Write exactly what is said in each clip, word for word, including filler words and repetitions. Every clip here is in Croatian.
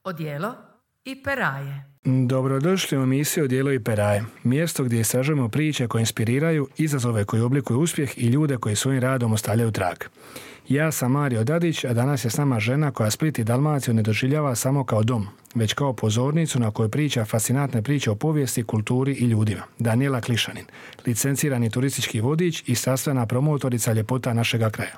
Odijelo i peraje. Dobrodošli u emisiju Odijelo i peraje, mjesto gdje istražujemo priče koje inspiriraju, izazove koji oblikuju uspjeh i ljude koji svojim radom ostavljaju trag. Ja sam Mario Dadić, a danas je s nama žena koja Split i Dalmaciju ne doživljava samo kao dom, već kao pozornicu na kojoj priča fascinantne priče o povijesti, kulturi i ljudima. Daniela Klišanin, licencirani turistički vodič i sastavna promotorica ljepota našega kraja.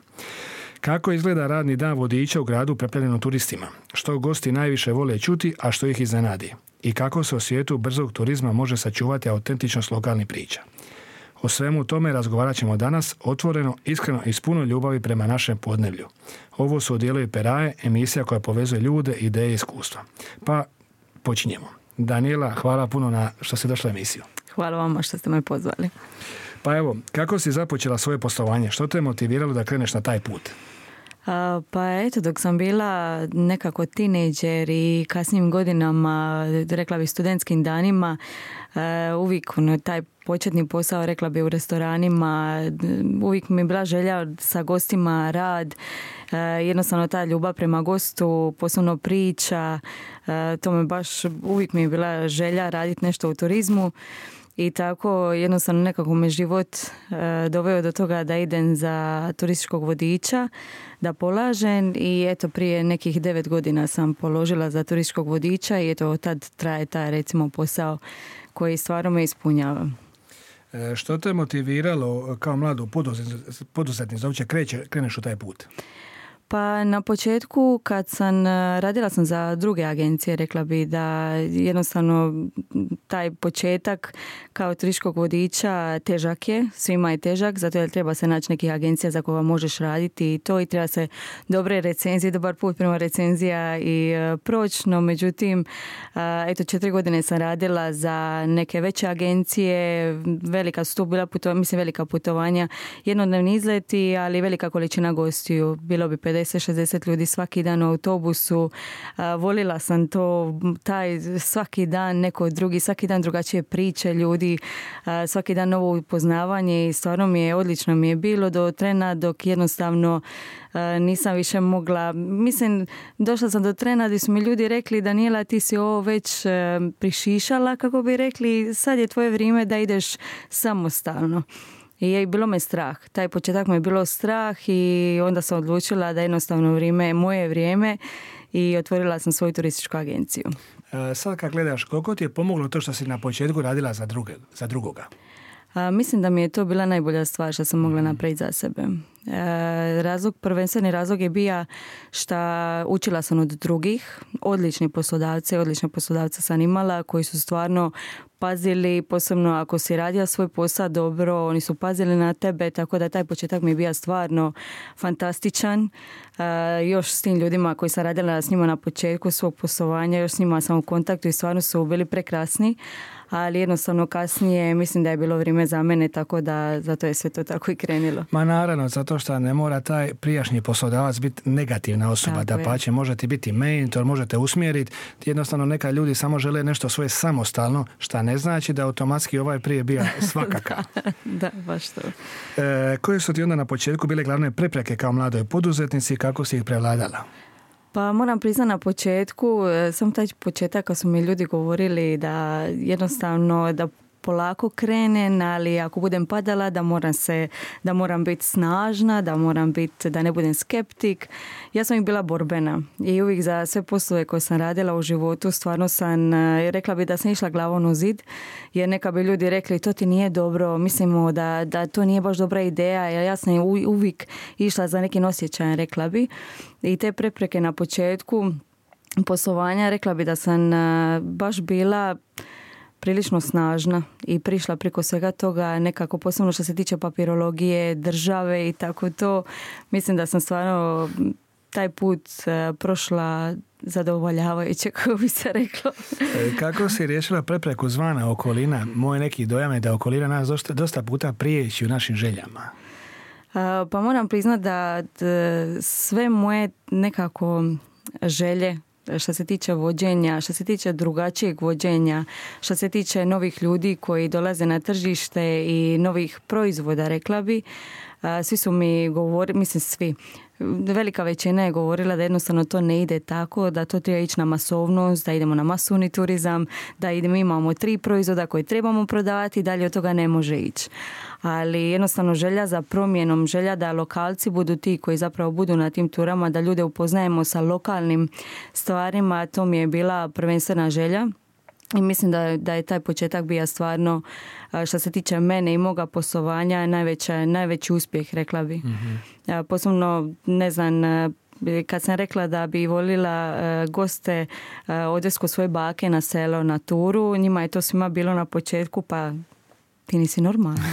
Kako izgleda radni dan vodiča u gradu preplavljenom turistima? Što gosti najviše vole čuti, a što ih iznenadi? I kako se u svijetu brzog turizma može sačuvati autentičnost lokalnih priča? O svemu tome razgovarat ćemo danas otvoreno, iskreno i s puno ljubavi prema našem podneblju. Ovo su Odijelo i peraje, emisija koja povezuje ljude, ideje i iskustva. Pa počinjemo. Daniela, hvala puno na što si došla u emisiju. Hvala vama što ste me pozvali. Pa evo, kako si započela svoje poslovanje? Što te je motiviralo da kreneš na taj put? A, pa eto, dok sam bila nekako tinejdžer i kasnijim godinama, rekla bih studentskim danima, uvijek ono, taj početni posao, rekla bih u restoranima, uvijek mi je bila želja sa gostima rad, jednostavno ta ljubav prema gostu, posebno priča, to me baš uvijek mi je bila želja raditi nešto u turizmu. I tako jednostavno nekako me život e, doveo do toga da idem za turističkog vodiča, da polažem i eto prije nekih devet godina sam položila za turističkog vodiča i eto tad traje taj recimo posao koji stvarno me ispunjava. E, što te motiviralo kao mladu poduzetnicu da uopće kreneš u taj put? Pa na početku kad sam radila sam za druge agencije, rekla bi da jednostavno taj početak kao turističkog vodiča težak je, svima je težak, zato jer treba se naći nekih agencija za koja možeš raditi i to i treba se dobre recenzije, dobar put prema recenzija i proći, no međutim eto četiri godine sam radila za neke veće agencije, velika su tu bila putovanja, mislim velika putovanja, jednodnevni izleti, ali velika količina gostiju, bilo bi pedeset šezdeset ljudi svaki dan u autobusu. A, volila sam to, taj svaki dan neko drugi, svaki dan drugačije priče ljudi, a, svaki dan novo upoznavanje i stvarno mi je, odlično mi je bilo do trena dok jednostavno a, nisam više mogla, mislim, došla sam do trena gdje su mi ljudi rekli Daniela ti si ovo već a, prišišala, kako bi rekli, sad je tvoje vrijeme da ideš samostalno. I je bilo me strah. Taj početak me je bilo strah i onda sam odlučila da jednostavno vrijeme je moje vrijeme i otvorila sam svoju turističku agenciju. E, sad kad gledaš, koliko ti je pomoglo to što si na početku radila za, druge, za drugoga? A, mislim da mi je to bila najbolja stvar što sam mogla napraviti za sebe. E, razlog, prvenstveni razlog je bio što učila sam od drugih, odlični poslodavci, odlične poslodavce sam imala koji su stvarno pazili, posebno ako si radio svoj posao dobro, oni su pazili na tebe, tako da taj početak mi je bio stvarno fantastičan. E, još s tim ljudima koji sam radila s njima na početku svog poslovanja, još s njima sam u kontaktu i stvarno su bili prekrasni, ali jednostavno kasnije mislim da je bilo vrijeme za mene, tako da zato je sve to tako i krenilo. Ma naravno, zato što ne mora taj prijašnji poslodavac biti negativna osoba, da pače, možete biti mentor, možete usmjeriti, jednostavno neka ljudi samo žele nešto svoje samostalno, što ne znači da automatski ovaj prije bio svakakav. da, da, baš to. E, koje su ti onda na početku bile glavne prepreke kao mladoj poduzetnici i kako si ih prevladala? Pa moram priznati na početku, sam taj početak kad su mi ljudi govorili da jednostavno da polako krenem, ali ako budem padala da moram se, da moram biti snažna, da moram biti, da ne budem skeptik. Ja sam ih bila borbena i uvijek za sve poslove koje sam radila u životu stvarno sam, rekla bi da sam išla glavom u zid, jer neka bi ljudi rekli to ti nije dobro, mislimo da, da to nije baš dobra ideja, jer ja sam uvijek išla za nekim osjećajem, rekla bi. I te prepreke na početku poslovanja, rekla bi da sam baš bila prilično snažna i prišla preko svega toga nekako, posebno što se tiče papirologije, države i tako to. Mislim da sam stvarno taj put uh, prošla zadovoljavajuće, kako bi se reklo. Kako si riješila prepreku zvana okolina? Moj neki dojam je da okolina nas dosta, dosta puta prijeći u našim željama. Uh, pa moram priznati da d, sve moje nekako želje što se tiče vođenja, što se tiče drugačijeg vođenja, što se tiče novih ljudi koji dolaze na tržište i novih proizvoda, rekla bi. Svi su mi govorili, mislim svi, velika većina je govorila da jednostavno to ne ide tako, da to treba ići na masovnost, da idemo na masovni turizam, da idemo, imamo tri proizvoda koje trebamo prodavati i dalje od toga ne može ići. Ali jednostavno želja za promjenom, želja da lokalci budu ti koji zapravo budu na tim turama, da ljude upoznajemo sa lokalnim stvarima, to mi je bila prvenstvena želja. I mislim da, da je taj početak bio stvarno, što se tiče mene i moga poslovanja, najveća, najveći uspjeh, rekla bi. Mm-hmm. Posebno, ne znam, kad sam rekla da bi volila goste odvesti kod svoje bake na selo, na turu, njima je to svima bilo na početku, pa ti nisi normalna.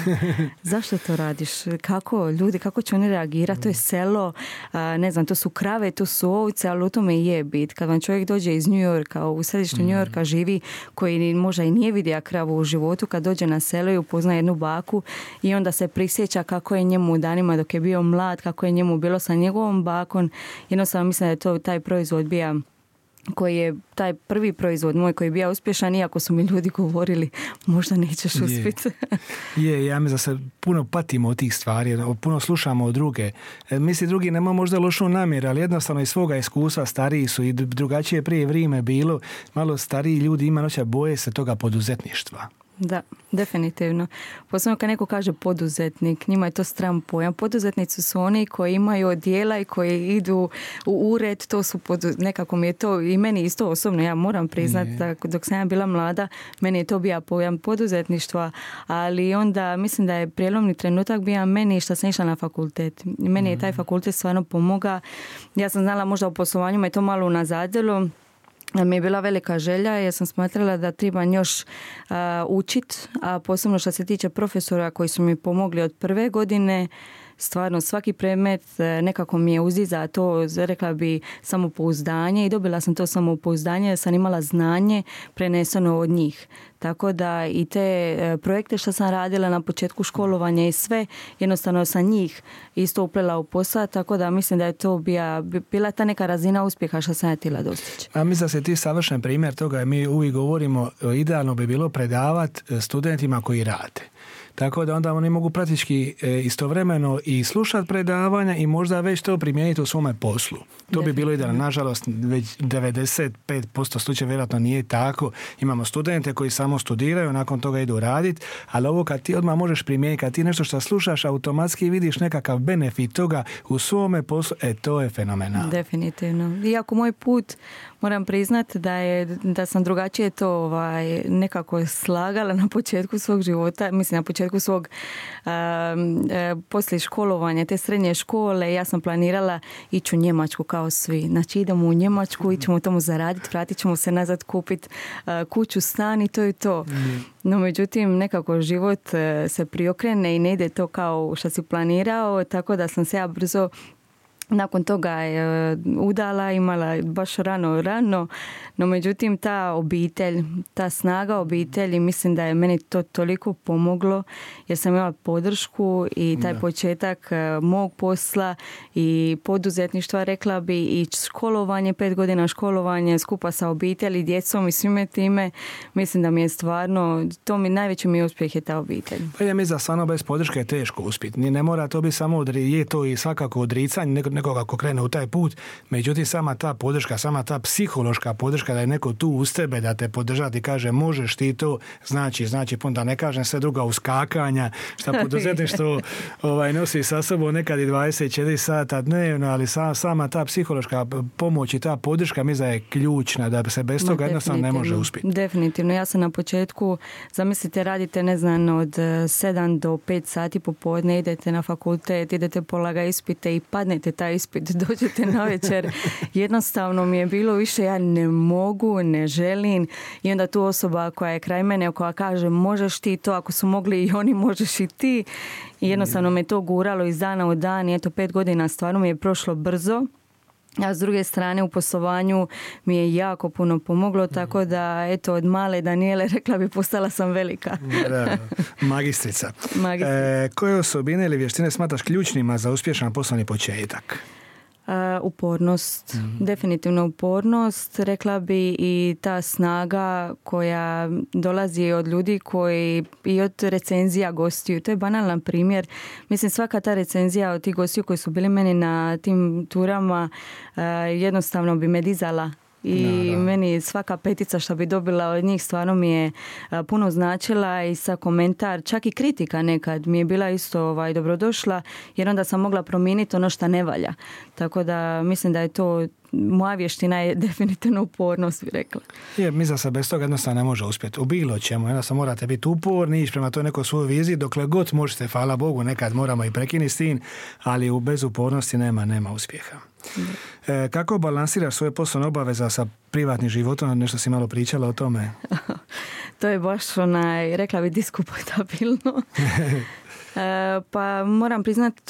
Zašto to radiš? Kako ljudi, kako će oni reagirati? To je selo, ne znam, to su krave, to su ovce, ali u tome i je bit. Kad vam čovjek dođe iz New Yorka, u središtu New Yorka živi, koji možda i nije vidio kravu u životu, kad dođe na selo i upozna jednu baku i onda se prisjeća kako je njemu u danima dok je bio mlad, kako je njemu bilo sa njegovom bakom. Jednostavno mislim da je to taj proizvod bio koji je taj prvi proizvod moj koji je bio uspješan, iako su mi ljudi govorili možda nećeš uspjeti. Je, je, ja mi da se puno patimo od tih stvari, puno slušamo od druge. Misli, drugi nema možda lošu namjeru, ali jednostavno iz svoga iskustva stariji su i drugačije prije vrijeme bilo. Malo stariji ljudi ima noća boje se toga poduzetništva. Da, definitivno. Posebno kad neko kaže poduzetnik, njima je to stran pojam. Poduzetnici su oni koji imaju odjela i koji idu u ured, to su podu... nekako mi je to i meni isto osobno, ja moram priznati da dok sam ja bila mlada, meni je to bio pojam poduzetništva, ali onda mislim da je prijelomni trenutak bio meni što sam išla na fakultet. Meni je taj fakultet stvarno pomogao. Ja sam znala možda u poslovanju me to malo unazadilo, mi je bila velika želja jer sam smatrala da trebam još uh, učiti, a posebno što se tiče profesora koji su mi pomogli od prve godine. Stvarno svaki predmet nekako mi je uziza to, rekla bi, samopouzdanje i dobila sam to samopouzdanje jer sam imala znanje preneseno od njih. Tako da i te projekte što sam radila na početku školovanja i sve, jednostavno sam njih isto uplela u posao, tako da mislim da je to bila, bila ta neka razina uspjeha što sam ja htjela dostići. A mislim da se ti savršen primjer toga, mi uvijek govorimo, idealno bi bilo predavati studentima koji rade. Tako da onda oni mogu praktički istovremeno i slušati predavanja i možda već to primijeniti u svome poslu. To bi bilo idealno. Nažalost, već devedeset pet posto slučaja vjerojatno nije tako. Imamo studente koji samo studiraju, nakon toga idu raditi, ali ovo kad ti odmah možeš primijeniti, kad ti nešto što slušaš, automatski vidiš nekakav benefit toga u svome poslu, e to je fenomenalno. Definitivno. Iako moj put, moram priznati da, je, da sam drugačije to ovaj, nekako slagala na početku svog života, mislim na početku svog um, uh, poslije školovanja, te srednje škole, ja sam planirala ići u Njemačku kao svi. Znači idemo u Njemačku, ićemo tamo zaraditi, vratit ćemo se nazad kupiti uh, kuću, stan i to je to. No međutim, nekako život uh, se priokrene i ne ide to kao što si planirao, tako da sam se ja brzo nakon toga je udala, imala baš rano, rano, no međutim ta obitelj, ta snaga obitelji, mislim da je meni to toliko pomoglo jer sam imala podršku i taj da. početak mog posla i poduzetništva, rekla bi, i školovanje, pet godina školovanje skupa sa obitelji, djecom i svime time, mislim da mi je stvarno, to mi najveći mi uspjeh je ta obitelj. Pa ja mislim da stvarno bez podrške je teško uspjeti. Ne mora to biti samo odri, je to i svakako odricanje nekoga ko krene u taj put, međutim sama ta podrška, sama ta psihološka podrška da je neko tu uz tebe da te podržati i kaže možeš ti to, znači, znači da ne kažem sve druga uskakanja, šta poduzetništvo ovaj, nosi sa sobom nekad i dvadeset četiri sata dnevno, ali sama, sama ta psihološka pomoć i ta podrška mislim da je ključna, da se bez toga jednostavno ne može uspjeti. Definitivno, ja sam na početku, zamislite, radite ne znam od sedam do pet sati popodne, idete na fakultet, idete polaga ispite i padnete taj ispit, dođete na večer, jednostavno mi je bilo više ja ne mogu, ne želim i onda tu osoba koja je kraj mene, koja kaže možeš ti to, ako su mogli i oni, možeš i ti, i jednostavno me to guralo iz dana u dan i eto pet godina stvarno mi je prošlo brzo. A s druge strane u poslovanju mi je jako puno pomoglo, tako da eto od male Danijele, rekla bi, postala sam velika. Da, magistrica. Magistrica. E, koje osobine ili vještine smatraš ključnima za uspješan poslovni početak? Uh, upornost, mm-hmm. definitivno upornost, rekla bi, i ta snaga koja dolazi od ljudi koji i od recenzija gostiju. To je banalan primjer. Mislim, svaka ta recenzija od tih gostiju koji su bili meni na tim turama uh, jednostavno bi me dizala. I da, da. Meni svaka petica što bi dobila od njih stvarno mi je a, puno značila i sa komentar, čak i kritika nekad mi je bila isto ovaj, dobrodošla, jer onda sam mogla promijeniti ono što ne valja. Tako da mislim da je to, moja vještina je definitivno upornost, bi rekla. Je, mislim da se bez toga jednostavno ne može uspjeti. U bilo čemu, jednostavno morate biti uporni, ići prema toj nekoj svojoj viziji, dokle god možete, hvala Bogu, nekad moramo i prekinuti s tim, ali bez upornosti nema, nema uspjeha. E, kako balansiraš svoje poslovne obaveza sa privatnim životom? Nešto si malo pričala o tome. To je baš onaj, rekla bi, diskutabilno. e, pa moram priznati,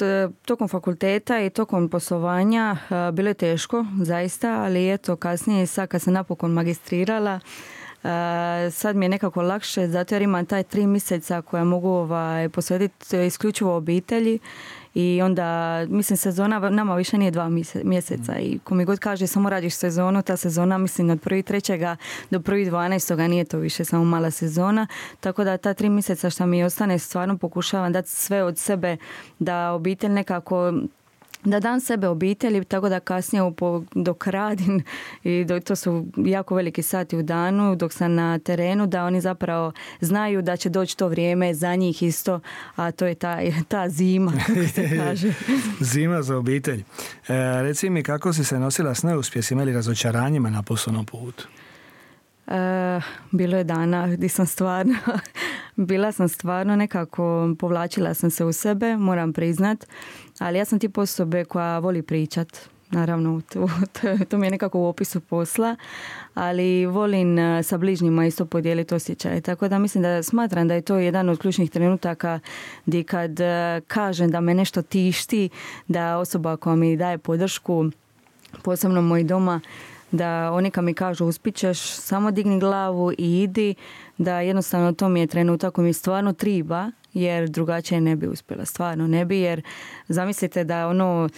tokom fakulteta i tokom poslovanja e, bilo je teško, zaista, ali eto kasnije, sad kad sam napokon magistrirala, Uh, sad mi je nekako lakše, zato jer imam taj tri mjeseca koja mogu ovaj, posvetiti isključivo obitelji. I onda, mislim, sezona nama više nije dva mjeseca i ko mi god kaže samo radiš sezonu, ta sezona, mislim, od prvi trećega do prvi dvanaestoga nije to više samo mala sezona, tako da ta tri mjeseca što mi ostane stvarno pokušavam dati sve od sebe da obitelj nekako, da dam sebe obitelji, tako da kasnije dok radim i dok, to su jako veliki sati u danu, dok sam na terenu, da oni zapravo znaju da će doći to vrijeme za njih isto, a to je ta, ta zima, kako se kaže. Zima za obitelj. E, reci mi, kako si se nosila s neuspjesima ili razočaranjima na poslovnom putu? E, bilo je dana gdje sam stvarno bila sam stvarno nekako, povlačila sam se u sebe, moram priznat, ali ja sam tip osobe koja voli pričat, naravno to, to, to mi je nekako u opisu posla, ali volim sa bližnjima isto podijeliti osjećaje, tako da mislim da smatram da je to jedan od ključnih trenutaka gdje kad kažem da me nešto tišti, da osoba koja mi daje podršku, posebno moj doma, da oni kad mi kažu uspićeš, samo digni glavu i idi, da jednostavno to mi je trenutak koji mi stvarno triba, jer drugačije ne bi uspjela, stvarno ne bi, jer zamislite da ono,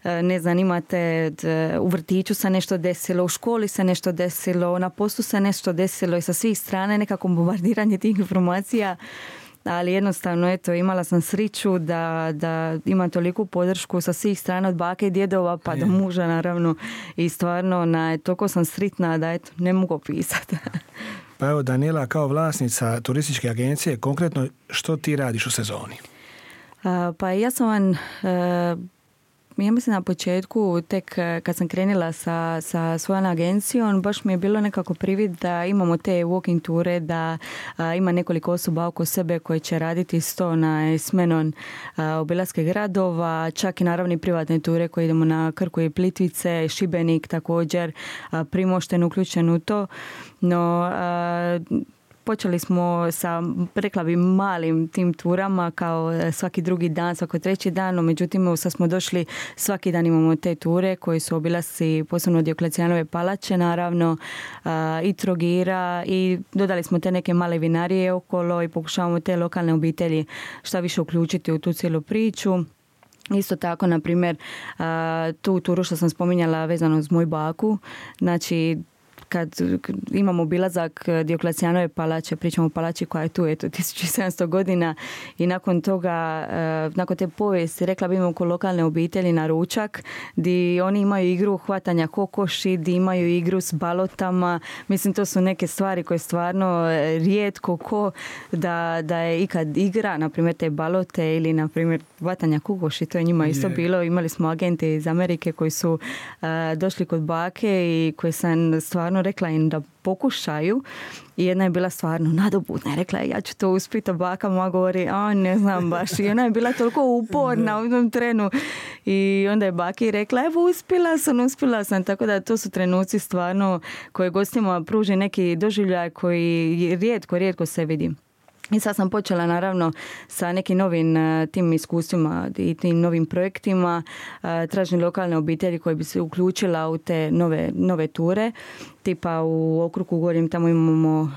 ne znam, imate u vrtiću se nešto desilo, u školi se nešto desilo, na poslu se nešto desilo i sa svih strana nekako bombardiranje tih informacija. Ali jednostavno, eto, imala sam sriću da, da imam toliku podršku sa svih strana, od bake i djedova pa do muža, naravno. I stvarno, na, toliko sam sritna da, eto, ne mogu opisati. Pa evo, Danijela, kao vlasnica turističke agencije, konkretno što ti radiš u sezoni? A, pa ja sam vam... E, ja mislim na početku, tek kad sam krenila sa, sa svojom agencijom, baš mi je bilo nekako privid da imamo te walking ture, da a, ima nekoliko osoba oko sebe koje će raditi sto na smenon a, obilaske gradova, čak i naravno privatne ture koje idemo na Krku i Plitvice, Šibenik također, a, Primošten uključen u to, no... A, počeli smo sa, rekla bi, malim tim turama kao svaki drugi dan, svaki treći dan, no međutim sad smo došli, svaki dan imamo te ture koji su obilasci posebno Dioklecijanove palače, naravno i Trogira, i dodali smo te neke male vinarije okolo i pokušavamo te lokalne obitelji šta više uključiti u tu cijelu priču. Isto tako, na primjer, tu turu što sam spominjala vezano uz moju baku, znači kad imamo obilazak Dioklecijanove palače, pričamo o palači koja je tu, eto, tisuću sedamsto godina, i nakon toga, nakon te povijesti, rekla bi, imamo oko lokalne obitelji na ručak, gdje oni imaju igru hvatanja kokoši, gdje imaju igru s balotama. Mislim, to su neke stvari koje stvarno rijetko ko da, da je ikad igra, na primjer te balote ili na primjer hvatanja kokoši, to je njima isto yeah. bilo. Imali smo agente iz Amerike koji su uh, došli kod bake i koji sam stvarno rekla im da pokušaju, i jedna je bila stvarno nadobudna i rekla je, ja ću to uspjeti, a baka moja govori, a ne znam baš, i ona je bila toliko uporna u jednom trenu, i onda je baki rekla, evo uspjela sam, uspjela sam, tako da to su trenuci stvarno koje gostima pruži neki doživljaj koji rijetko, rijetko se vidi. I sad sam počela naravno sa nekim novim uh, tim iskustvima i tim novim projektima. Uh, tražim lokalne obitelji koje bi se uključila u te nove, nove ture. tipa u okrugu govorim, tamo imamo uh,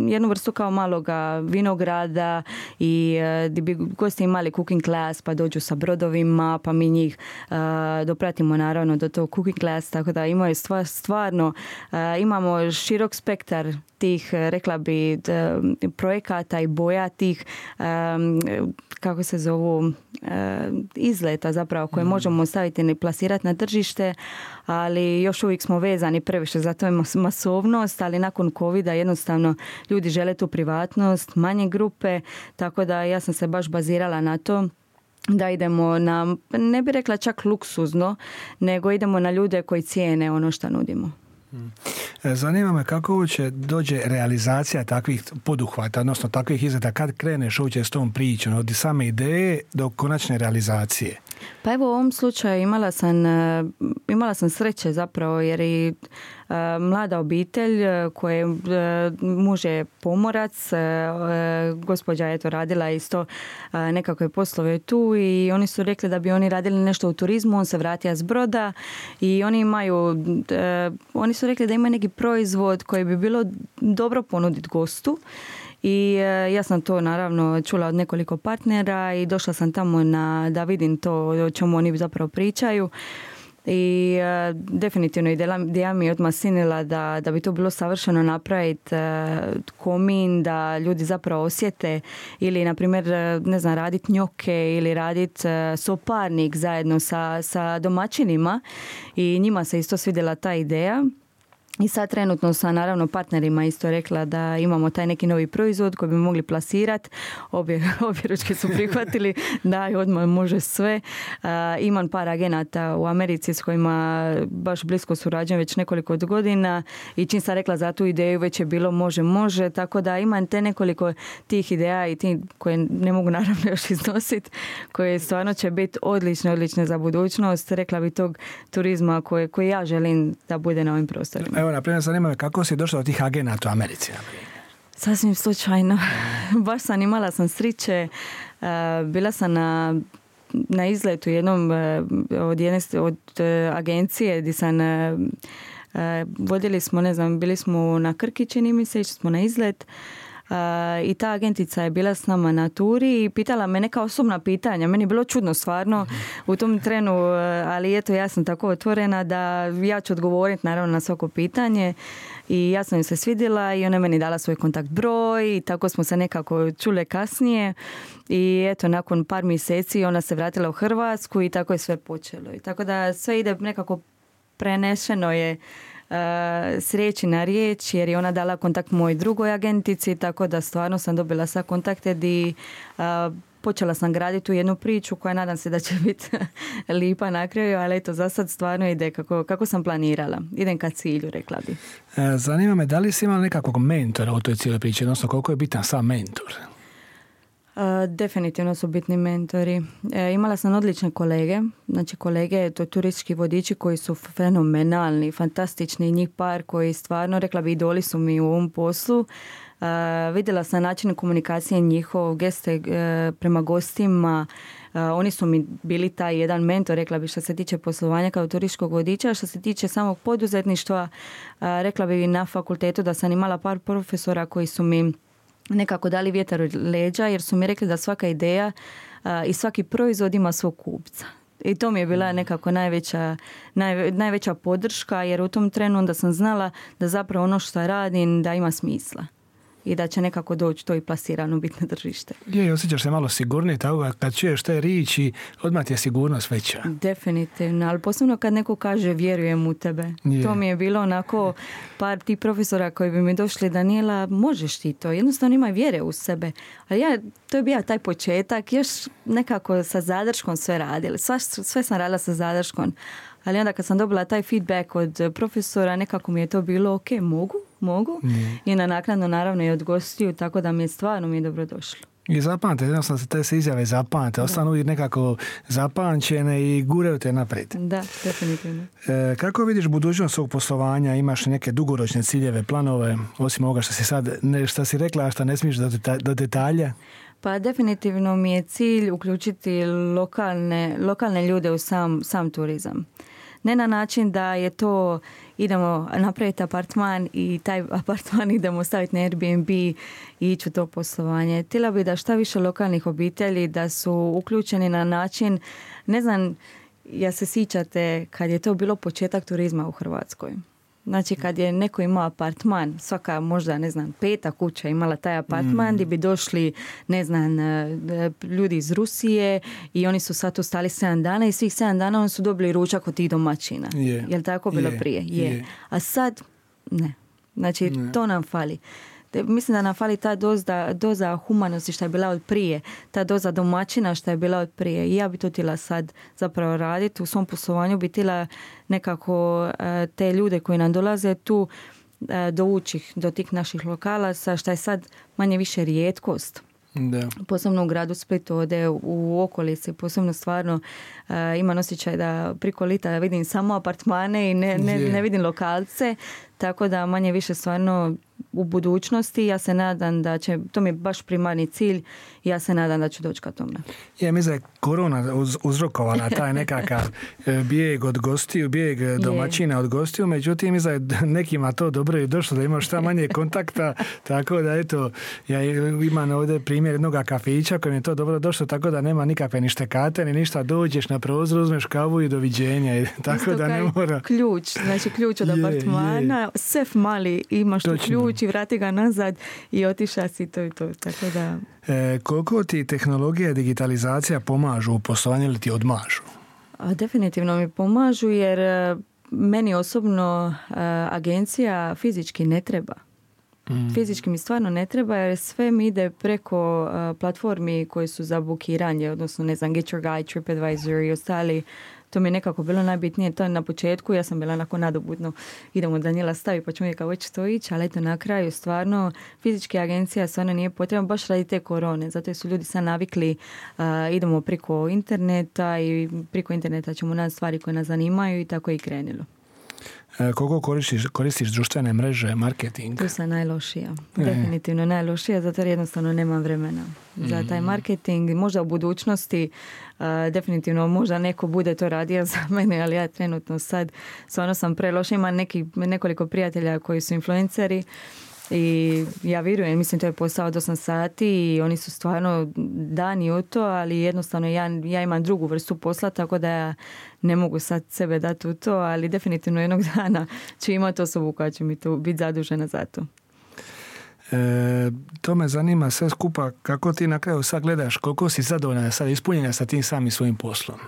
jednu vrstu kao maloga vinograda i uh, gdje bi gosti imali cooking class, pa dođu sa brodovima, pa mi njih uh, dopratimo naravno do tog cooking class, tako da imaju stvar, stvarno, uh, imamo širok spektar tih, rekla bi, projekata i boja tih, um, kako se zovu, uh, izleta zapravo koje mm. možemo staviti i plasirati na tržište, ali još uvijek smo vezani previše za to je masovnost, ali nakon covida jednostavno ljudi žele tu privatnost, manje grupe, tako da ja sam se baš bazirala na to da idemo na, ne bih rekla čak luksuzno, nego idemo na ljude koji cijene ono što nudimo. Zanima me kako uopće dođe realizacija takvih poduhvata, odnosno takvih izgleda, kad kreneš uopće s tom pričom, od same ideje do konačne realizacije? Pa evo u ovom slučaju imala sam, imala sam sreće zapravo jer i uh, mlada obitelj koje uh, muž je pomorac, uh, gospođa je to radila isto uh, nekakve poslove tu i oni su rekli da bi oni radili nešto u turizmu, on se vratio s broda i oni imaju, uh, oni su rekli da ima neki proizvod koji bi bilo dobro ponuditi gostu. I e, ja sam to naravno čula od nekoliko partnera i došla sam tamo na, da vidim to o čemu oni zapravo pričaju. I e, definitivno ideja mi je odmah sinila da, da bi to bilo savršeno napraviti e, komin, da ljudi zapravo osjete ili na primjer ne znam raditi njoke ili raditi e, soparnik zajedno sa, sa domaćinima i njima se isto svidjela ta ideja. I sad trenutno sa naravno partnerima isto rekla da imamo taj neki novi proizvod koji bi mogli plasirati. Obje, obje ručke su prihvatili da odmah može sve. Uh, imam par agenata u Americi s kojima baš blisko surađujem već nekoliko godina i čim sam rekla za tu ideju već je bilo može, može. Tako da imam te nekoliko tih ideja i ti koje ne mogu naravno još iznositi, koje stvarno će biti odlične, odlične za budućnost. Rekla bi tog turizma koje, koje ja želim da bude na ovim prostorima. Evo, na primjer, zanima me kako si došla do tih agenata u Americi? Sasvim slučajno. Baš sam imala sam sriće. Bila sam na, na izletu jednom od jedne od agencije gdje sam vodili smo, ne znam, bili smo na Krki, čini mi se, išli smo na izlet. Uh, i ta agentica je bila s nama na turi i pitala me neka osobna pitanja. Meni je bilo čudno stvarno u tom trenu, ali eto ja sam tako otvorena da ja ću odgovoriti naravno na svako pitanje i ja sam joj se svidjela i ona je meni dala svoj kontakt broj i tako smo se nekako čule kasnije i eto nakon par mjeseci ona se vratila u Hrvatsku i tako je sve počelo. I tako da sve ide nekako prenešeno je Uh, s riječi na riječ jer je ona dala kontakt mojoj drugoj agentici, tako da stvarno sam dobila sa kontakte di uh, počela sam graditi tu jednu priču koja nadam se da će biti lipa na kraju, ali eto za sad stvarno ide kako, kako sam planirala. Idem ka cilju, rekla bi. E, zanima me da li si imala nekakvog mentora u toj cijeloj priči, odnosno koliko je bitan sam mentor? Uh, definitivno su bitni mentori. E, imala sam odlične kolege, znači kolege, to turistički vodiči koji su fenomenalni, fantastični, njih par koji stvarno, rekla bi, idoli su mi u ovom poslu. Uh, vidjela sam način komunikacije njihov, geste uh, prema gostima. Uh, oni su mi bili taj jedan mentor, rekla bi, što se tiče poslovanja kao turističkog vodiča. Što se tiče samog poduzetništva, uh, rekla bi na fakultetu da sam imala par profesora koji su mi nekako dali vjetar u leđa jer su mi rekli da svaka ideja uh, i svaki proizvod ima svog kupca. I to mi je bila nekako najveća, naj, najveća podrška jer u tom trenu onda sam znala da zapravo ono što radim da ima smisla i da će nekako doći to i plasirano biti na tržište. Je, osjećaš se malo sigurniji, tako kad čuješ te riječi, odmah ti je sigurnost veća. Definitivno, ali posebno kad neko kaže vjerujem u tebe. Je. To mi je bilo onako par tih profesora koji bi mi došli, Daniela, možeš ti to, jednostavno imaj vjere u sebe. Ali ja, to je bio taj početak, još nekako sa zadrškom sve radili, sve, sve sam radila sa zadrškom. Ali onda kad sam dobila taj feedback od profesora, nekako mi je to bilo ok, mogu, mogu. Mm. I na naknadno naravno i od gostiju, tako da mi je stvarno mi je dobro došlo. I zapamte, jednostavno te se izjave zapamte, ostanu uvijek nekako zapamćene i guraju te naprijed. Da, definitivno. E, kako vidiš budućnost svog poslovanja? Imaš neke dugoročne ciljeve, planove, osim ovoga što si sad, ne, što si rekla, a što ne smiješ do, deta, do detalja? Pa definitivno mi je cilj uključiti lokalne, lokalne ljude u sam, sam turizam. Ne na način da je to idemo napraviti apartman i taj apartman idemo staviti na Airbnb i ići u to poslovanje. Htjela bi da šta više lokalnih obitelji da su uključeni na način, ne znam, ja se sjećate kad je to bilo početak turizma u Hrvatskoj. Znači kad je neko imao apartman, svaka možda, ne znam, peta kuća imala taj apartman mm. gdje bi došli, ne znam, ljudi iz Rusije i oni su sad tu stali sedam dana i svih sedam dana oni su dobili ručak od tih domaćina. Yeah. Je li tako bilo yeah. prije? Je. Yeah. A sad, ne. Znači ne. to nam fali. Mislim da nam fali ta doza, doza humanosti što je bila od prije, ta doza domaćina što je bila od prije. I ja bi to htjela sad zapravo raditi. U svom poslovanju bi htjela nekako te ljude koji nam dolaze tu dovući do tih naših lokala, sa što je sad manje više rijetkost. Da. Posebno u gradu Splitu, ode u okolici, posebno stvarno uh, imam osjećaj da priko lita vidim samo apartmane i ne, ne, ne vidim lokalce, tako da manje više stvarno u budućnosti ja se nadam da će, to mi je baš primarni cilj, ja se nadam da ću doći ka tome. Ja mislim da je korona uz, uzrokovala taj nekakav bijeg od gostiju, bijeg domaćina od gostiju, međutim mislim da je nekima to dobro i došlo da ima šta manje kontakta, tako da eto, ja imam ovdje primjer jednog kafića kojem je to dobro došlo, tako da nema nikakve ni štekate, ni ništa, dođeš na prozor, uzmeš kavu i doviđenja, tako isto da ne mora... ključ, znači ključ od je, apartmana, je. Sef mali, imaš tu ključ i vrati ga nazad i otiša si to i to, tako da... E, koliko ti tehnologija i digitalizacija pomažu u poslovanju ili ti odmažu? A, definitivno mi pomažu jer meni osobno a, agencija fizički ne treba. Mm. Fizički mi stvarno ne treba jer sve mi ide preko uh, platformi koje su za bukiranje, odnosno ne znam, Get Your Guide, TripAdvisor i ostali. To mi je nekako bilo najbitnije. To je na početku, ja sam bila onako nadobudno, idemo Danijela stavi pa ćemo uvijek kako će to ići, ali eto na kraju stvarno fizička agencija stvarno nije potrebna baš radi te korone, zato su ljudi sad navikli, uh, idemo preko interneta i preko interneta ćemo naći stvari koje nas zanimaju i tako je i krenilo. Koliko koristiš, koristiš društvene mreže, marketing? Tu sam najlošija. E. Definitivno najlošija, zato jer jednostavno nemam vremena za taj marketing. Možda u budućnosti uh, definitivno možda neko bude to radio za mene, ali ja trenutno sad stvarno sam preloša. Imam neki, nekoliko prijatelja koji su influenceri i ja vjerujem, mislim to je posao od osam sati i oni su stvarno dani u to, ali jednostavno ja, ja imam drugu vrstu posla, tako da ja ne mogu sad sebe dati u to, ali definitivno jednog dana ću imati osobu koja će mi tu biti zadužena za to. E, to me zanima sve skupa, kako ti na kraju sad gledaš, koliko si zadovoljna sad ispunjena sa tim samim svojim poslom?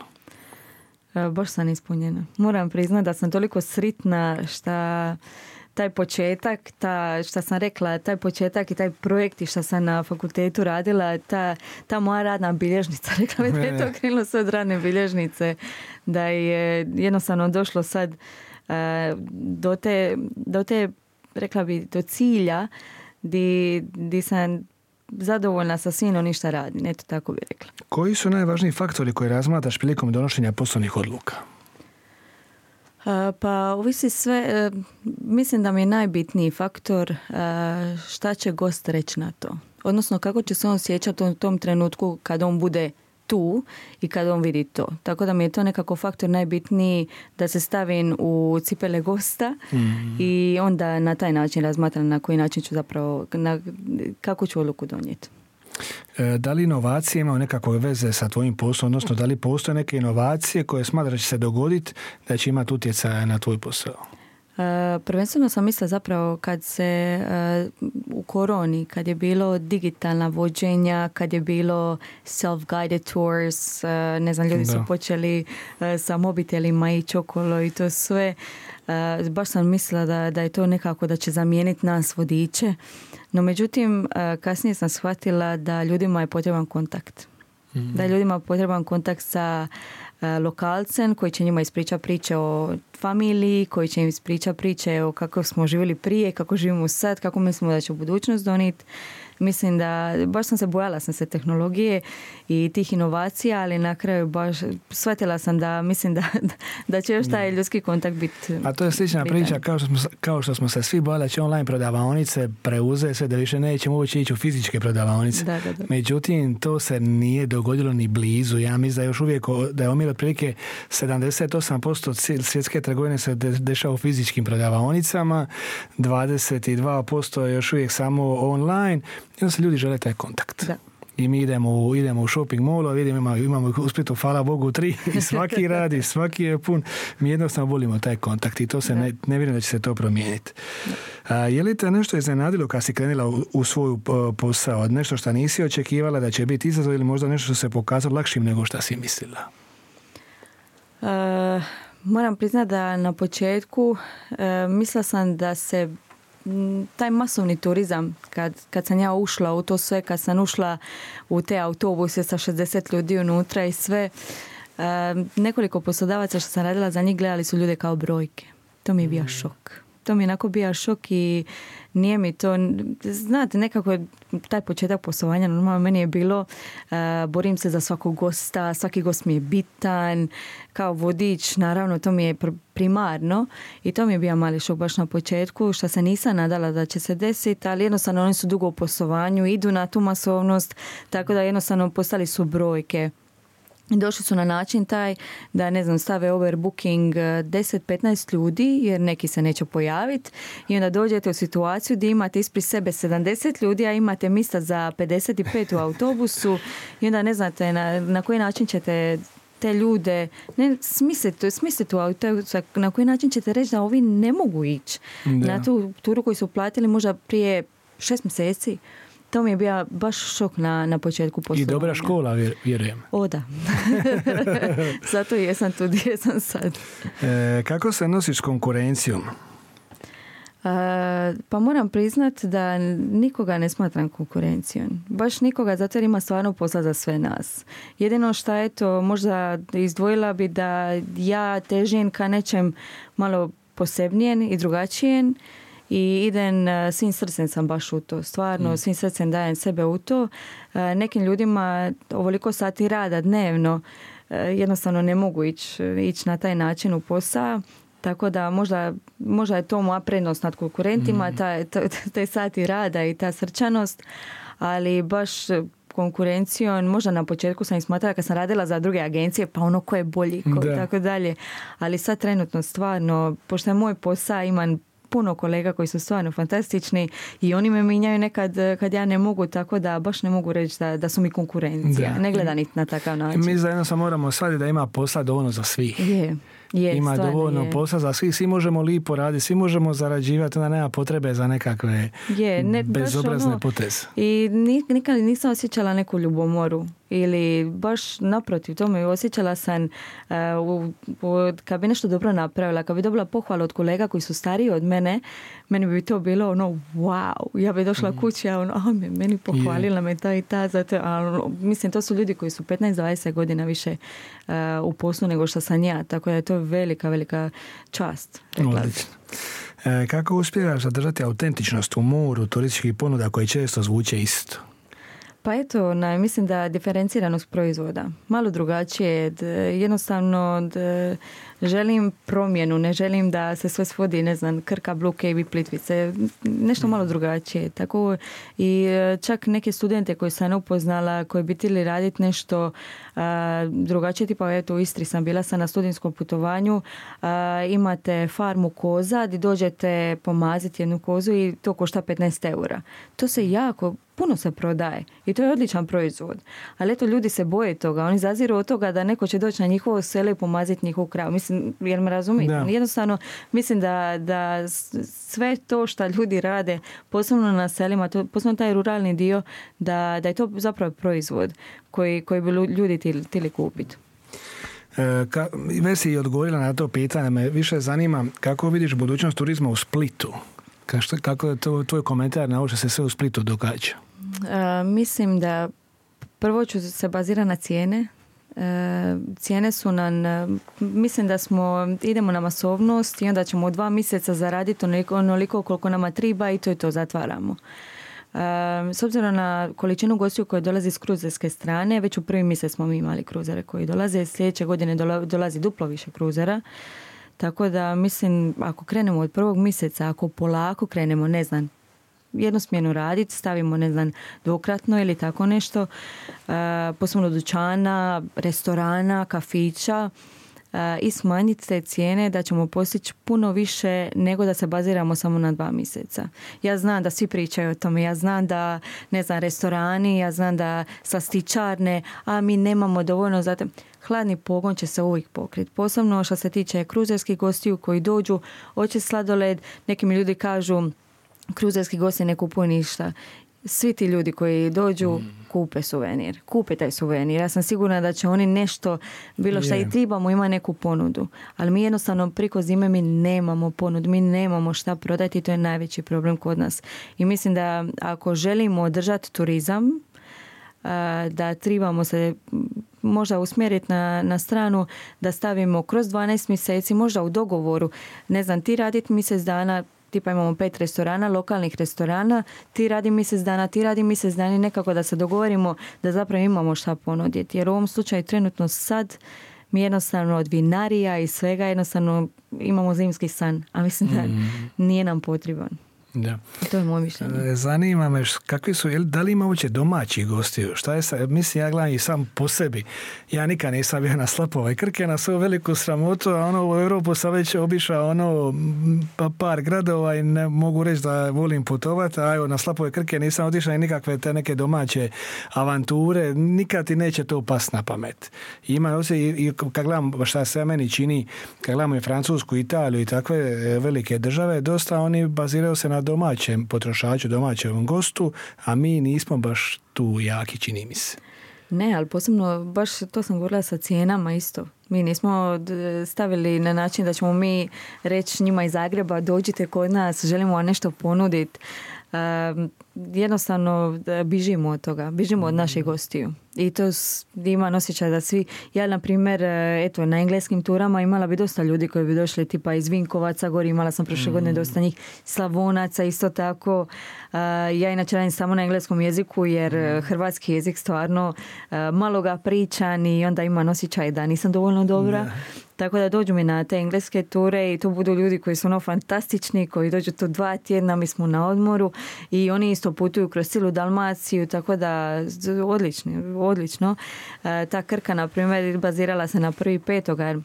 E, baš sam ispunjena. Moram priznati da sam toliko sritna šta taj početak, ta, šta sam rekla, taj početak i taj projekt i šta sam na fakultetu radila, ta, ta moja radna bilježnica, rekla mi da je to krenulo sve od radne bilježnice, da je jednostavno došlo sad uh, do, te, do te, rekla bi, do cilja di, di sam zadovoljna sa svim onim šta radim, eto tako bi rekla. Koji su najvažniji faktori koje razmatraš prilikom donošenja poslovnih odluka? Pa ovisi sve, mislim da mi je najbitniji faktor šta će gost reći na to. Odnosno kako će se on sjećati u tom trenutku kad on bude tu i kad on vidi to. Tako da mi je to nekako faktor najbitniji da se stavim u cipele gosta mm. i onda na taj način razmatram na koji način ću zapravo, na, kako ću odluku donijeti. Da li inovacije imaju nekakve veze sa tvojim poslom, odnosno da li postoje neke inovacije koje smatraš da će se dogoditi da će imati utjecaj na tvoj posao? Uh, prvenstveno sam mislila zapravo kad se uh, u koroni, kad je bilo digitalna vođenja, kad je bilo self-guided tours, uh, ne znam, ljudi da. su počeli uh, sa mobitelima ići okolo i to sve. Uh, baš sam mislila da, da je to nekako da će zamijeniti nas vodiče. No međutim, uh, kasnije sam shvatila da ljudima je potreban kontakt. Mm-hmm. Da je ljudima potreban kontakt sa lokalcem koji će njima ispričati priče o familiji, koji će im ispričati priče o kako smo živjeli prije, kako živimo sad, kako mislimo da će u budućnost donijeti. Mislim da baš sam se bojala sam se tehnologije i tih inovacija, ali na kraju baš shvatila sam da mislim da, da će još taj ljudski kontakt biti. A to je slična bitan. Priča kao što, smo, kao što smo se svi bojali da će online prodavaonice preuze sve, da više nećemo uopće ići u fizičke prodavaonice. Da, da, da. Međutim, to se nije dogodilo ni blizu. Ja mislim da je još uvijek da je omjer otprilike sedamdeset osam posto svjetske trgovine se dešava u fizičkim prodavaonicama, dvadeset dva posto je još uvijek samo online. Jedno se ljudi žele taj kontakt. Da. I mi idemo, idemo u shopping mall, vidimo, imamo, imamo u Splitu, hvala Bogu, tri, i svaki radi, svaki je pun. Mi jednostavno volimo taj kontakt i to se ne, ne vjerujem da će se to promijeniti. A, je li te nešto iznenadilo kad si krenula u, u svoju posao? Nešto što nisi očekivala da će biti izazov ili možda nešto što se pokazalo lakšim nego što si mislila? Uh, moram priznati da na početku uh, mislila sam da se taj masovni turizam, kad, kad sam ja ušla u to sve, kad sam ušla u te autobuse sa šezdeset ljudi unutra i sve, uh, nekoliko poslodavaca što sam radila za njih gledali su ljude kao brojke. To mi je bio šok. To mi je onako bio šok i nije mi to, znate, nekako taj početak poslovanja normalno meni je bilo uh, borim se za svakog gosta, svaki gost mi je bitan, kao vodič, naravno to mi je primarno i to mi je bio mali šok baš na početku, što se nisam nadala da će se desiti, ali jednostavno oni su dugo u poslovanju, idu na tu masovnost, tako da jednostavno postali su brojke. Došli su na način taj da, ne znam, stave overbooking deset do petnaest ljudi jer neki se neće pojaviti i onda dođete u situaciju gdje imate ispred sebe sedamdeset ljudi, a imate mjesta za pedeset pet u autobusu i onda ne znate na, na koji način ćete te ljude ne smisliti, smisliti u autobusu, na koji način ćete reći da ovi ne mogu ići na tu turu koju su platili možda prije šest mjeseci. To mi je bio baš šok na, na početku poslovanja. I dobra škola, vjerujem. O da. Zato jesam tu gdje sam sad. E, kako se nosiš s konkurencijom? E, pa moram priznat da nikoga ne smatram konkurencijom. Baš nikoga, zato jer ima stvarno posla za sve nas. Jedino što je to, možda izdvojila bi da ja težim ka nečem malo posebnijen i drugačijen. I idem, svim srcem sam baš u to. Stvarno, mm. svim srcem dajem sebe u to. Nekim ljudima ovoliko sati rada dnevno jednostavno ne mogu ići ić na taj način u posao. Tako da možda, možda je to moja prednost nad konkurentima, mm. taj, taj sati rada i ta srčanost. Ali baš konkurencijom, možda na početku sam i smatrala kad sam radila za druge agencije, pa ono ko je bolji, ko tako dalje. Ali sad trenutno stvarno, pošto je moj posao, imam puno kolega koji su stvarno fantastični i oni me minjaju nekad kad ja ne mogu, tako da baš ne mogu reći da, da su mi konkurencija. Da. Ne gleda niti na takav način. Mi zajedno sam moramo shvatiti da ima posla dovoljno za svih. Je. Je, ima dovoljno je. posla za svih, svi možemo lipo raditi, svi možemo zarađivati, onda nema potrebe za nekakve je, ne, bezobrazne ono, poteze. I nikad nisam osjećala neku ljubomoru ili baš naprotiv tome, osjećala sam uh, u, u, kad bi nešto dobro napravila, kad bi dobila pohvalu od kolega koji su stariji od mene, meni bi to bilo ono wow, ja bi došla mm. kući, a ono, a meni pohvalila yeah. me ta i ta, zato, a, mislim to su ljudi koji su petnaest do dvadeset godina više uh, u poslu nego što sam ja, tako da je to velika, velika čast. Odlično. E, kako uspijevaš zadržati autentičnost u moru turističkih ponuda koji često zvuče isto? Pa eto, na, mislim da diferenciranost proizvoda. Malo drugačije. D, jednostavno d, želim promjenu, ne želim da se sve svodi, ne znam, Krka, Blue Cave i Plitvice. Nešto malo drugačije. Tako i čak neke studente koje sam upoznala, koji bi htjeli raditi nešto a, drugačije, tipa eto u Istri sam bila sam na studijskom putovanju, a, imate farmu koza gdje dođete pomaziti jednu kozu i to košta petnaest eura. To se jako puno se prodaje i to je odličan proizvod. Ali eto, ljudi se boje toga. Oni zaziru od toga da neko će doći na njihovo selo i pomaziti njihovu kravu. Mislim, jer me razumijete? Da. Jednostavno, mislim da, da sve to što ljudi rade, posebno na selima, to, posebno taj ruralni dio, da, da je to zapravo proizvod koji, koji bi ljudi htjeli kupiti. E, ka, već si odgovorila na to pitanje. Me više zanima kako vidiš budućnost turizma u Splitu. Kako je to tvoj komentar na ovo što se sve u Splitu događa? Uh, mislim da prvo ću se bazirati na cijene. Uh, cijene su nam, uh, mislim da smo, idemo na masovnost i onda ćemo u dva mjeseca zaraditi onoliko, onoliko koliko nama treba i to je to, zatvaramo. Uh, s obzirom na količinu gostiju koje dolazi s kruzerske strane, već u prvi mjesec smo mi imali kruzere koji dolaze, sljedeće godine dolazi duplo više kruzera. Tako da mislim, ako krenemo od prvog mjeseca, ako polako krenemo, ne znam, jednosmjerno raditi, stavimo, ne znam, dvokratno ili tako nešto, uh, posebno dućana, restorana, kafića, uh, i smanjiti te cijene da ćemo postići puno više nego da se baziramo samo na dva mjeseca. Ja znam da svi pričaju o tome, ja znam da, ne znam, restorani, ja znam da slastičarne, a mi nemamo dovoljno za te. Hladni pogon će se uvijek pokriti. Posebno što se tiče kruzerskih gostiju koji dođu, hoće sladoled, neki mi ljudi kažu kruzerski gosti ne kupuju ništa. Svi ti ljudi koji dođu mm. kupe suvenir. Kupe taj suvenir. Ja sam sigurna da će oni nešto, bilo što yeah. i trebamo, ima neku ponudu. Ali mi jednostavno priko zime mi nemamo ponudu. Mi nemamo šta prodati i to je najveći problem kod nas. I mislim da ako želimo održati turizam, da trebamo se možda usmjeriti na, na stranu da stavimo kroz dvanaest mjeseci, možda u dogovoru, ne znam, ti raditi mjesec dana, tipa imamo pet restorana, lokalnih restorana, ti radi mjesec dana, ti radi mjesec dana i nekako da se dogovorimo da zapravo imamo šta ponuditi. Jer u ovom slučaju trenutno sad mi jednostavno od vinarija i svega jednostavno imamo zimski san, a mislim da mm. nije nam potreban. Da. To je moje mišljenje. Zanima me kakvi su, da li ima uopće domaći gostiju? Šta je sa, mislim, ja gledam i sam po sebi. Ja nikad nisam bio na Slapova i Krke, na svoju veliku sramotu, a ono u Europu sam već obišao ono pa par gradova i ne mogu reći da volim putovati, a evo na Slapove Krke nisam otišao i nikakve te neke domaće avanture, nikad ti neće to past na pamet. I ima ovdje, i kad gledam šta se meni čini, kad gledamo i Francusku, Italiju i takve velike države, dosta oni baziraju se na domaćem potrošaču, domaćem gostu, a mi nismo baš tu jaki, čini mi se. Ne, ali posebno, baš to sam govorila sa cijenama isto. Mi nismo stavili na način da ćemo mi reći njima iz Zagreba, dođite kod nas, želimo vam nešto ponuditi. Um, jednostavno bižimo od toga, bižimo od naših gostiju. I to ima osjećaj da svi, ja na primjer, eto, na engleskim turama imala bi dosta ljudi koji bi došli tipa iz Vinkovaca, gori imala sam prošle godine dosta njih, Slavonaca isto tako. Uh, ja inače radim samo na engleskom jeziku jer hrvatski jezik stvarno uh, malo ga pričam i onda ima osjećaj da nisam dovoljno dobra. Da. Tako da dođu mi na te engleske ture i to budu ljudi koji su ono fantastični, koji dođu tu dva tjedna, mi smo na odmoru i oni isto putuju kroz cijelu Dalmaciju, tako da odlično, odlično. E, ta Krka, na primjer, bazirala se na prvi petoga.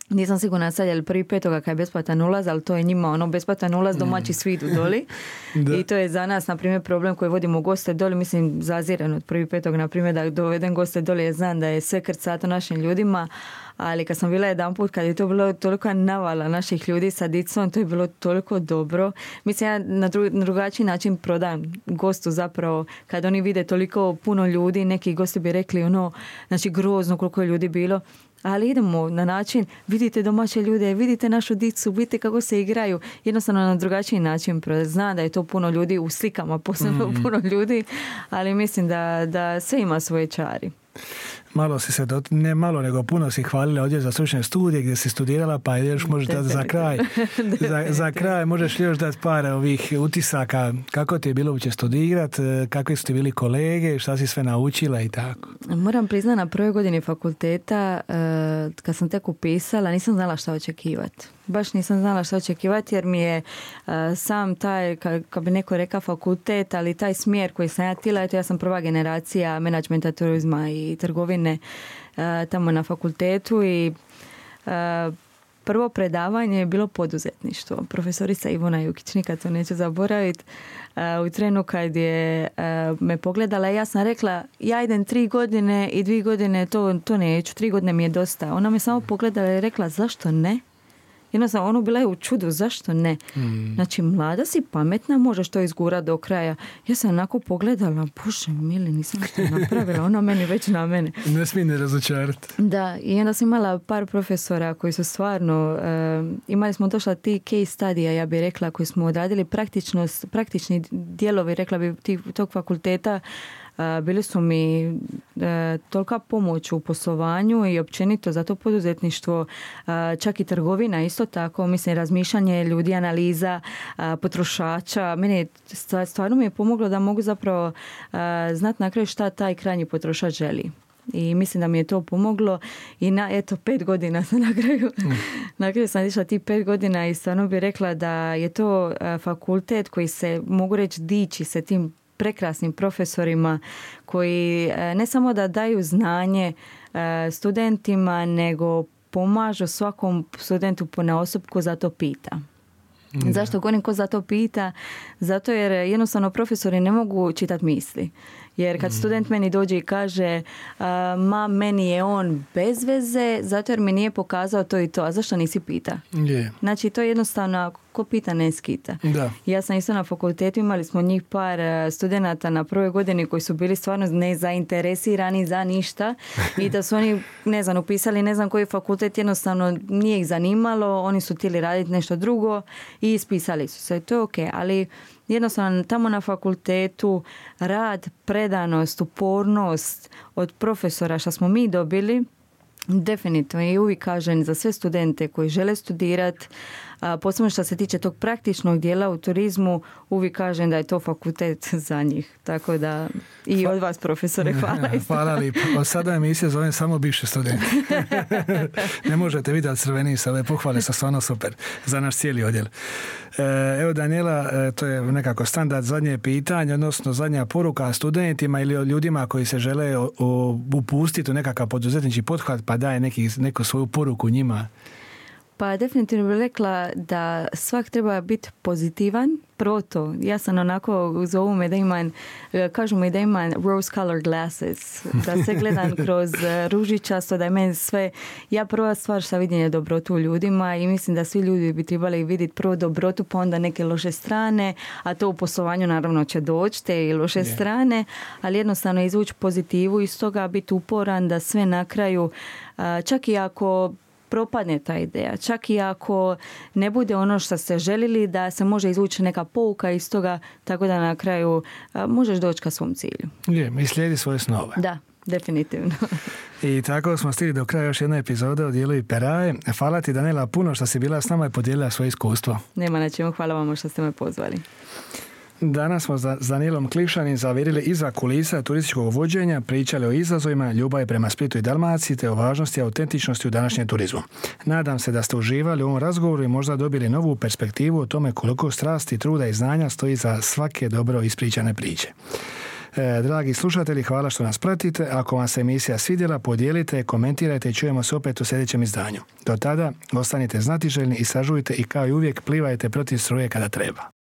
Nisam sigurna sad je li prvi petoga kad je besplatan ulaz, ali to je njima ono besplatan ulaz, domaći svi idu doli. I to je za nas, na primjer, problem koji vodimo goste doli. Mislim, zaziran od prvi petog, na primjer, da dovedem goste doli, je znam da je sve krcato našim ljudima, ali kad sam bila jedan put, kad je to bilo toliko navala naših ljudi sa dicom, to je bilo toliko dobro. Mislim, ja na, dru, na drugačiji način prodam gostu zapravo, kad oni vide toliko puno ljudi, neki gosti bi rekli ono, znači grozno koliko je ljudi bilo, ali idemo na način, vidite domaće ljude, vidite našu dicu, vidite kako se igraju, jednostavno na drugačiji način prodati. Znam da je to puno ljudi u slikama, posebno mm. puno ljudi, ali mislim da, da sve ima svoje čari. Malo si se, dot, ne malo nego puno si hvalila ovdje za stručne studije gdje si studirala, pa još možeš dati za kraj, za, za kraj možeš još dati par ovih utisaka, kako ti je bilo uopće studirati, kakvi su ti bili kolege, šta si sve naučila i tako. Moram priznati, na prvoj godini fakulteta, kad sam tek upisala, nisam znala šta očekivati. Baš nisam znala šta očekivati jer mi je uh, sam taj, kad ka bi neko rekao fakultet, ali taj smjer koji sam ja tila, eto ja sam prva generacija menadžmenta, turizma i trgovine uh, tamo na fakultetu i uh, prvo predavanje je bilo poduzetništvo. Profesorica Ivona Jukić, nikad to neću zaboraviti, uh, u trenu kad je uh, me pogledala, ja sam rekla, ja idem tri godine i dvije godine, to, to neću, tri godine mi je dosta. Ona me samo pogledala i rekla, zašto ne? Jednostavno, ono bila je u čudu, zašto ne? Mm. Znači, mlada si, pametna, možeš to izgurati do kraja. Ja sam onako pogledala, bože mili, nisam što napravila, ona meni već na mene. Ne smije ne razočarati. Da, i onda sam imala par profesora koji su stvarno, uh, imali smo došla ti case studija, ja bih rekla, koji smo odradili praktičnost, praktični dijelovi, rekla bi, tog fakulteta. Uh, bili su mi uh, tolika pomoć u poslovanju i općenito za to poduzetništvo, uh, čak i trgovina isto tako, mislim, razmišljanje ljudi, analiza uh, potrošača. Meni stvarno mi je pomoglo da mogu zapravo uh, znati na kraju šta taj krajnji potrošač želi. I mislim da mi je to pomoglo i na, eto, pet godina sam na kraju, mm. na kraju sam išla ti pet godina i stvarno bih rekla da je to uh, fakultet koji se, mogu reći, diči se tim prekrasnim profesorima koji uh, ne samo da daju znanje uh, studentima, nego pomažu svakom studentu ponaosobku, zato pita. Da. Zašto govorim ko za to pita? Zato jer jednostavno profesori ne mogu čitati misli. Jer kad student meni dođe i kaže ma meni je on bez veze zato jer mi nije pokazao to i to, a zašto nisi pita? Yeah. Znači to je jednostavno ko pita ne skita. Da. Ja sam isto na fakultetu, imali smo njih par studenata na prvoj godini koji su bili stvarno nezainteresirani za ništa i da su oni, ne znam, upisali ne znam koji fakultet, jednostavno nije ih zanimalo, oni su htjeli raditi nešto drugo i ispisali su se. To je ok, ali jednostavno tamo na fakultetu rad, predanost, upornost od profesora što smo mi dobili, definitivno i uvijek kažem za sve studente koji žele studirati, posebno što se tiče tog praktičnog dijela u turizmu, uvijek kažem da je to fakultet za njih. Tako da i od vas, profesore, hvala. Hvala lijepo. Od sada emisije zovem samo bivše studente. Ne možete vidjeti crveni sa ove pohvale, sa stvarno super za naš cijeli odjel. Evo, Daniela, to je nekako standard zadnje pitanje, odnosno zadnja poruka studentima ili ljudima koji se žele upustiti u nekakav poduzetnički pothvat, pa daje neki, neku svoju poruku njima. Pa definitivno bih rekla da svak treba biti pozitivan. Prvo to, ja sam onako, zovu me da imam, kažu mi da imam rose colored glasses, da se gledam kroz ružičasto, da je meni sve, ja prva stvar što vidim je dobrotu u ljudima i mislim da svi ljudi bi trebali vidjeti prvo dobrotu pa onda neke loše strane, a to u poslovanju naravno će doći te i loše yeah. strane, ali jednostavno izvući pozitivu iz toga, biti uporan da sve na kraju, čak i ako propadne ta ideja. Čak i ako ne bude ono što ste željeli, da se može izvući neka pouka iz toga, tako da na kraju a, možeš doći ka svom cilju. Je, i slijedi svoje snove. Da, definitivno. I tako smo stigli do kraja još jedne epizode o dijelu Iperae. Hvala ti, Daniela, puno što si bila s nama i podijelila svoje iskustvo. Nema na čemu, hvala vam što ste me pozvali. Danas smo s Danielom Klišanin zavirili iza kulisa turističkog vođenja, pričali o izazovima, ljubavi prema Splitu i Dalmaciji te o važnosti i autentičnosti u današnjem turizmu. Nadam se da ste uživali u ovom razgovoru i možda dobili novu perspektivu o tome koliko strasti, truda i znanja stoji za svake dobro ispričane priče. E, dragi slušatelji, hvala što nas pratite. Ako vam se emisija svidjela, podijelite, komentirajte i čujemo se opet u sljedećem izdanju. Do tada, ostanite znatiželjni i sažujte i kao i uvijek plivajte protiv struje kada treba.